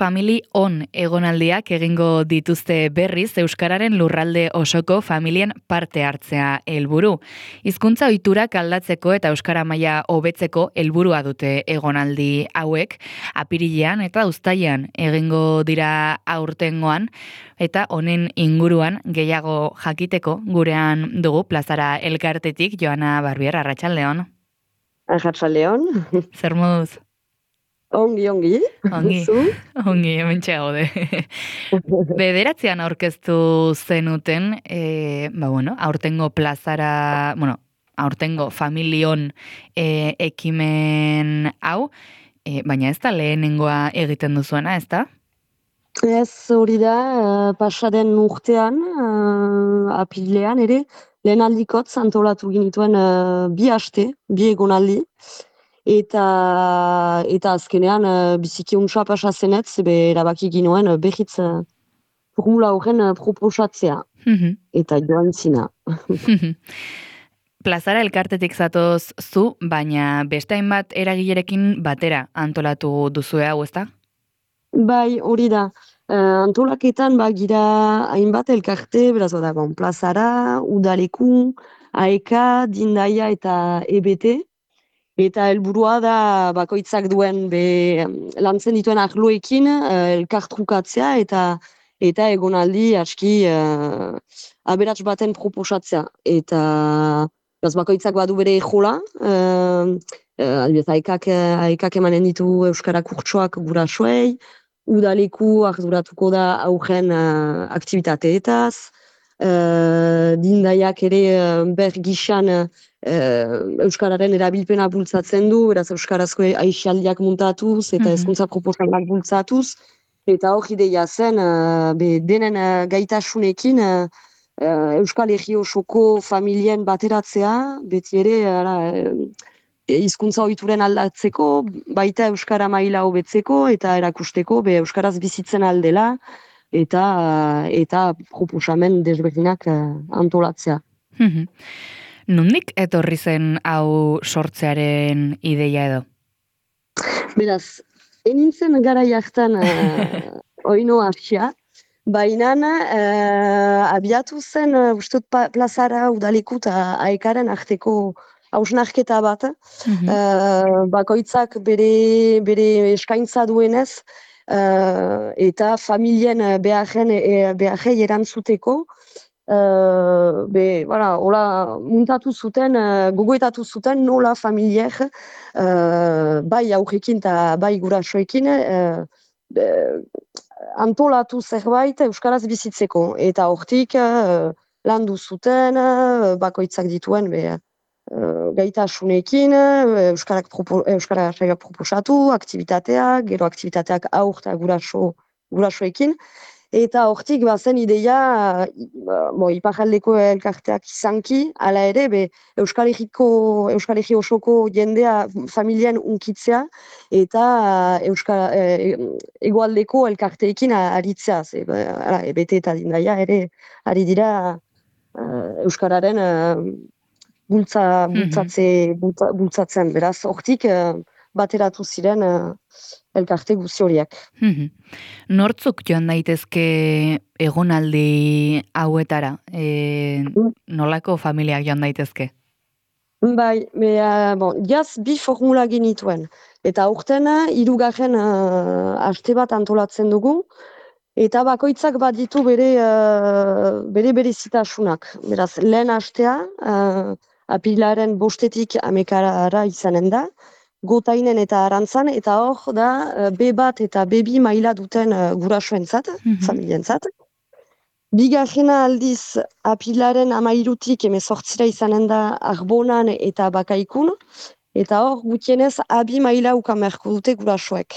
Family On egonaldiak egingo dituzte berriz Euskararen lurralde osoko familien parte hartzea helburu. Hizkuntza ohiturak aldatzeko eta Euskara maila hobetzeko helburua dute egonaldi hauek, apirilean eta uztailean egingo dira aurtengoan, eta honen inguruan gehiago jakiteko gurean dugu plazara elkartetik Joana Barbier, arratsaldeon. Arratsaldeon. Zer moduz? Ongi. Ongi, Zu? ongi, hementxe gaude. Bederatzean aurkeztu zenuten, aurtengo plazara, aurtengo familion ekimen hau, baina ez da lehenengoa egiten duzuena, ez da? Ez hori da, pasaden urtean, apirilean ere, lehen aldikotz antolatu ginituen bi egonaldi, eta azkenean biziki untsa pasa zenetz, erabaki ginoen behitz formula horren proposatzea, eta joan zina. Plazara elkartetik zatoz zu, baina beste hainbat eragilerekin batera antolatu duzue hau, ezta? Bai, hori da. Antolaketan gira hainbat elkarte, beraz bada, plazara, udaleku, AEK, Dindaia eta EBT. Eta helburua da bakoitzak duen lantzen dituen arloekin elkartrukatzea eta egonaldi aski aberats baten proposatzea. Eta bakoitzak badu bere jola, AEKak emanen ditu Euskara kurtsoak gurasoei, udaleku arduratuko da aurren aktibitateetaz, Dindaiak ere ber gixan Euskararen erabilpena bultzatzen du, beraz Euskarazko aisialdiak muntatuz eta hezkuntza proposamenak bultzatuz, eta hor ideia zen denen gaitasunekin Euskal Herri osoko familien bateratzea, beti ere hizkuntza ohituren aldatzeko, baita Euskara maila hobetzeko eta erakusteko Euskaraz bizitzen aldela, eta proposamen desberdinak antolatzea. Nondik etorri zen hau sortzearen ideia edo? Beraz, enintzen gara jartan oino hasia, baina abiatu zen ustot plazara udaleku eta AEKaren arteko hausnarketa bat, bakoitzak bere eskaintza duenez, eta familien beharrei erantzuteko, hola muntatu zuten, gogoetatu zuten nola familiek, bai aurrekin eta bai gurasoekin, antolatu zerbait Euskaraz bizitzeko. Eta hortik landu zuten, bakoitzak dituen gaitasunekin, Euskara saiak proposatu, aktibitateak, gero aktibitateak aur eta gurasoekin, eta hortik bazen ideia, iparraldeko elkarteak izanki, hala ere, Euskal Herri osoko jendea familien unkitzea, eta hegoaldeko elkarteekin aritzea, EBT eta Dindaia ere ari dira Euskararen bultzatzen, beraz, hortik bateratu ziren elkarte guzti horiek. Nortzuk joan daitezke egonaldi hauetara? Nolako familiak joan daitezke? Bai, jaz bi formula genituen. Eta aurten 3. aste bat antolatzen dugu, eta bakoitzak bat ditu bere zitasunak. Beraz, lehen astea, apirilaren 5-etik 11-ara izanen da, Gotainen eta Arantzan, eta hor da B1 eta B2 maila duten gurasoentzat, familientzat. Bigarrena aldiz apirilaren 13-tik 18-ra izanen da Arbonan eta Bakaikun, eta hor gutienez A2 maila ukan beharko dute gurasoek.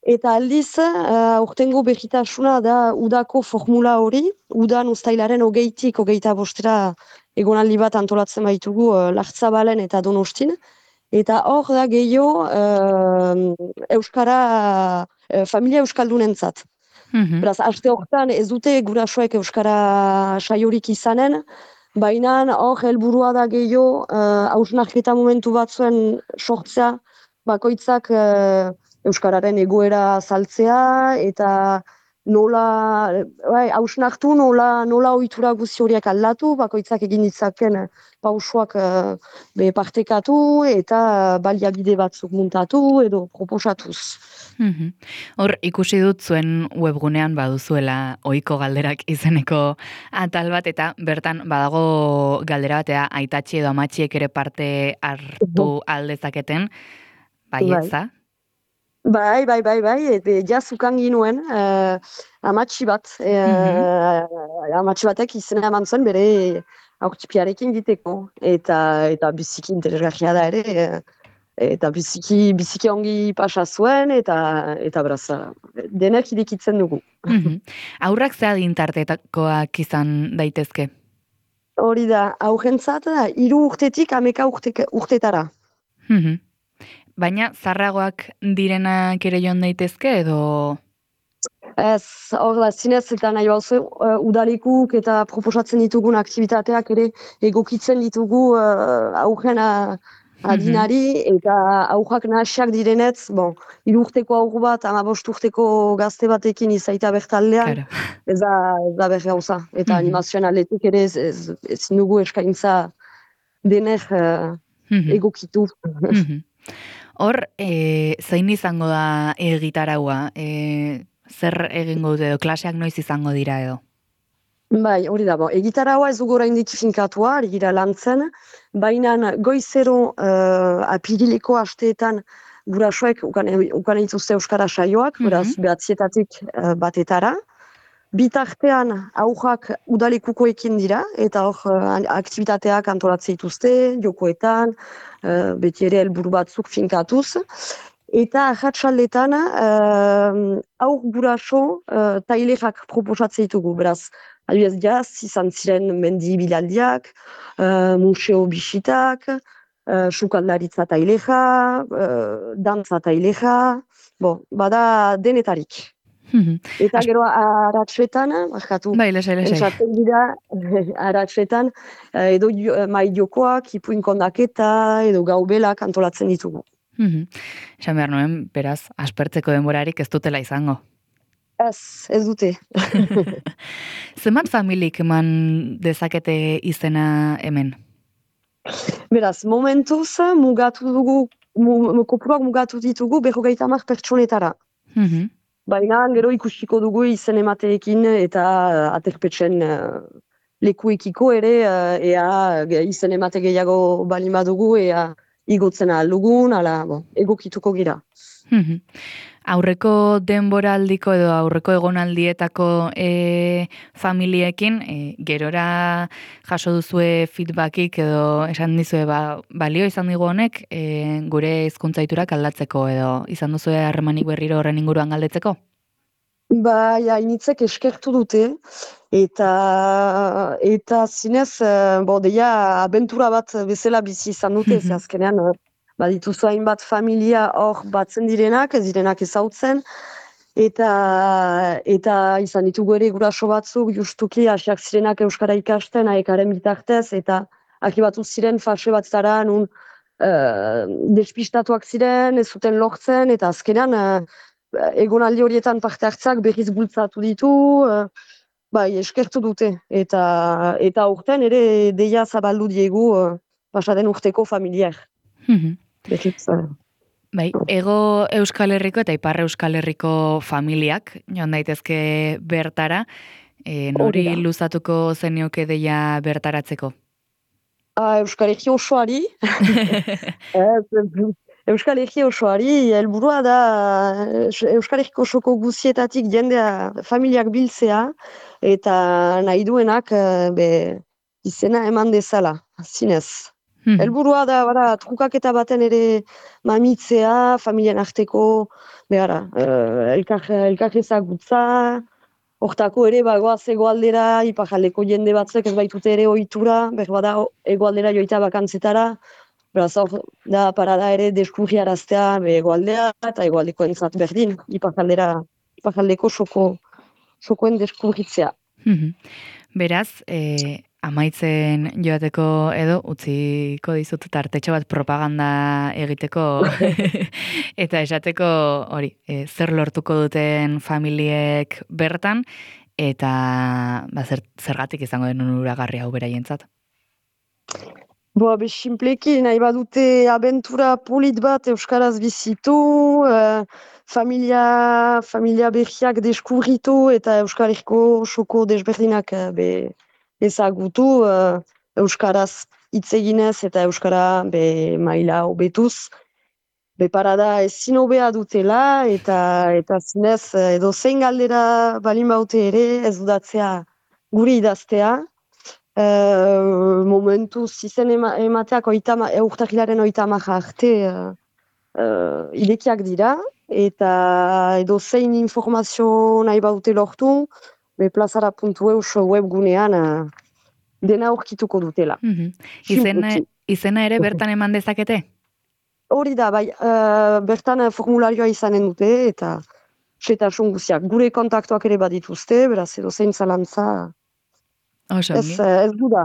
Eta aldiz, aurtengo berritasuna da udako formula hori, udan uztailaren 20-tik 25-ra egonaldi bat antolatzen baitugu Lartzabalen eta Donostin, eta hor da gehiago familia euskaldunentzat. Beraz, aste horretan ez dute gurasoek euskara saiorik izanen, baina hor helburua da gehiago hausnarketa momentu batzuen sortzea, bakoitzak Euskararen egoera saltzea, eta nola, hausnartu nola ohitura guzti horiek aldatu, bakoitzak egin ditzaken pausoak partekatu, eta baliabide batzuk muntatu, edo proposatuz. Hor, ikusi dut zuen webgunean baduzuela ohiko galderak izeneko atal bat, eta bertan badago galdera batea aitatxi edo amatxiek ere parte hartu aldezaketen, bai etza? Bai, jazukan ginuen amatxi bat, amatxi batek izena eman zuen bere aurkipiarekin diteko, eta biziki interesgarria da ere, eta biziki ongi pasa zuen, eta beraz, denek irekitzen dugu. Aurrak ze adintartetakoak izan daitezke? Hori da, aurrentzat, 3 urtetik 11 urtetara. Baina zarragoak direnak ere joan daitezke, edo? Ez, hor da, zinez eta nahi bauzu, udalekuk eta proposatzen ditugun aktivitateak ere egokitzen ditugu aurren adinari, eta aurrak nahasiak direnetz, 3 urteko aur bat, 15 urteko gazte batekin izaita bertaldean, ez da berri gauza. Eta animazioan aletik ere ezin dugu eskaintza denek egokitu. Hor, zein izango da egitaraua? Zer egingo dute edo, klaseak noiz izango dira edo? Bai, hori da, egitaraua ez dugu oraindik finkatua, ari gira lantzen, baina goizero apirileko asteetan gurasoek ukan dituzte euskara saioak, beraz 9-etatik batetara. Bitartean aurrak udalekukoekin dira, eta hor aktivitateak antolatzen dituzte, jokoetan, beti ere helburu batzuk finkatuz. Eta arratsaldetan aur guraso tailerak proposatzen ditugu, beraz, adibidez jaz, izan ziren mendi bilaldiak, museo bisitak, sukaldaritza taileja, dantza taileja, bada denetarik. Eta gero aratsuetan, esaten dira, aratsuetan, edo mai jokoak, ipuin kondaketa, edo gaubelak antolatzen ditugu. Esan behar nuen, beraz, aspertzeko denborarik ez dutela izango. Ez dute. Zenbat familik eman dezakete izena hemen? Beraz, momentuz kopuruak mugatu ditugu 50 pertsonetara. Baina gero ikusiko dugu izen emateekin eta aterpetxen lekuekiko ere, ea izen emate gehiago balima dugu, ea igotzen ahal dugun, egokituko gira. Aurreko denboraldiko edo aurreko egonaldietako familiekin, gerora jaso duzue feedbackik edo esan dizue balio izan digu honek gure hizkuntzaiturak aldatzeko edo izan duzue harremanik berriro horren inguruan galdetzeko? Bai, hainitzek eskertu dute, eta zinez, deia abentura bat bezala bizi izan dute, ze azkenean, badituzu hainbat familia hor batzen direnak ezautzen, eta izan ditugu ere guraso batzuk, justuki, hasiak zirenak euskara ikasten, aekaren bitartez, eta akibatu ziren fase bat zara, nun despistatuak ziren, ez zuten lortzen, eta azkenean, egonaldi horietan parte hartzak berriz bultzatu ditu, eskertu dute, eta urten ere deia zabaldu diegu pasaden urteko familiar. Bai, ego Euskal Herriko eta Ipar Euskal Herriko familiak, joan daitezke bertara, nori luzatuko zenioke deia bertaratzeko? Euskal Herri osoari, Euskal Herri osoari, helburua da Euskal Herriko osoko guzietatik jendea familiak biltzea, eta nahi duenak izena eman dezala, zinez. Helburua da, trukaketa baten ere mamitzea, familien arteko, elkar ezagutza, hortako ere goaz egoaldera, iparaldeko jende batzuk ez baitute ere ohitura, berbada egoaldera joita bakantzetara, beraz hor da parada ere deskurriaraztea egoaldea eta egoaldeko entzat berdin, iparaldeko sokoen deskurritzea. Beraz, amaitzen joateko edo utziko dizut tartetxo bat propaganda egiteko eta esateko hori, zer lortuko duten familiek bertan eta zergatik izango den onuragarri hau beraientzat. Sinpleki nahi badute abentura polit bat euskaraz bizitu, familia berriak deskubritu eta Euskal Herriko soko desberdinak ezagutu euskaraz hitz eginez eta euskara maila hobetuz. Parada ezin hobea dutela eta zinez edo zein galdera balin baute ere ez dudatzea guri idaztea. Momentuz izen emateak urtarrilaren 30 arte irekiak dira eta edo zein informazio nahi baute lortu plazara.eus webgunean dena aurkituko dutela. Izena ere bertan eman dezakete? Hori da, bai, bertan formularioa izanen dute eta xetasun guziak. Gure kontaktuak ere badituzte, beraz edo zein zalantza. Ez duda.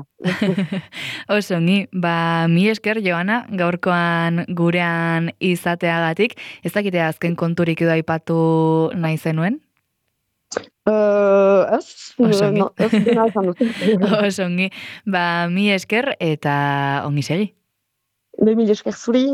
Osongi, mi esker, Joana, gaurkoan gurean izateagatik. Ez dakite azken konturik edo aipatu nahi zenuen? Ez, Osongi. Ez dena izan dut. Osongi, mi esker eta ongi segi. Mil esker zuri.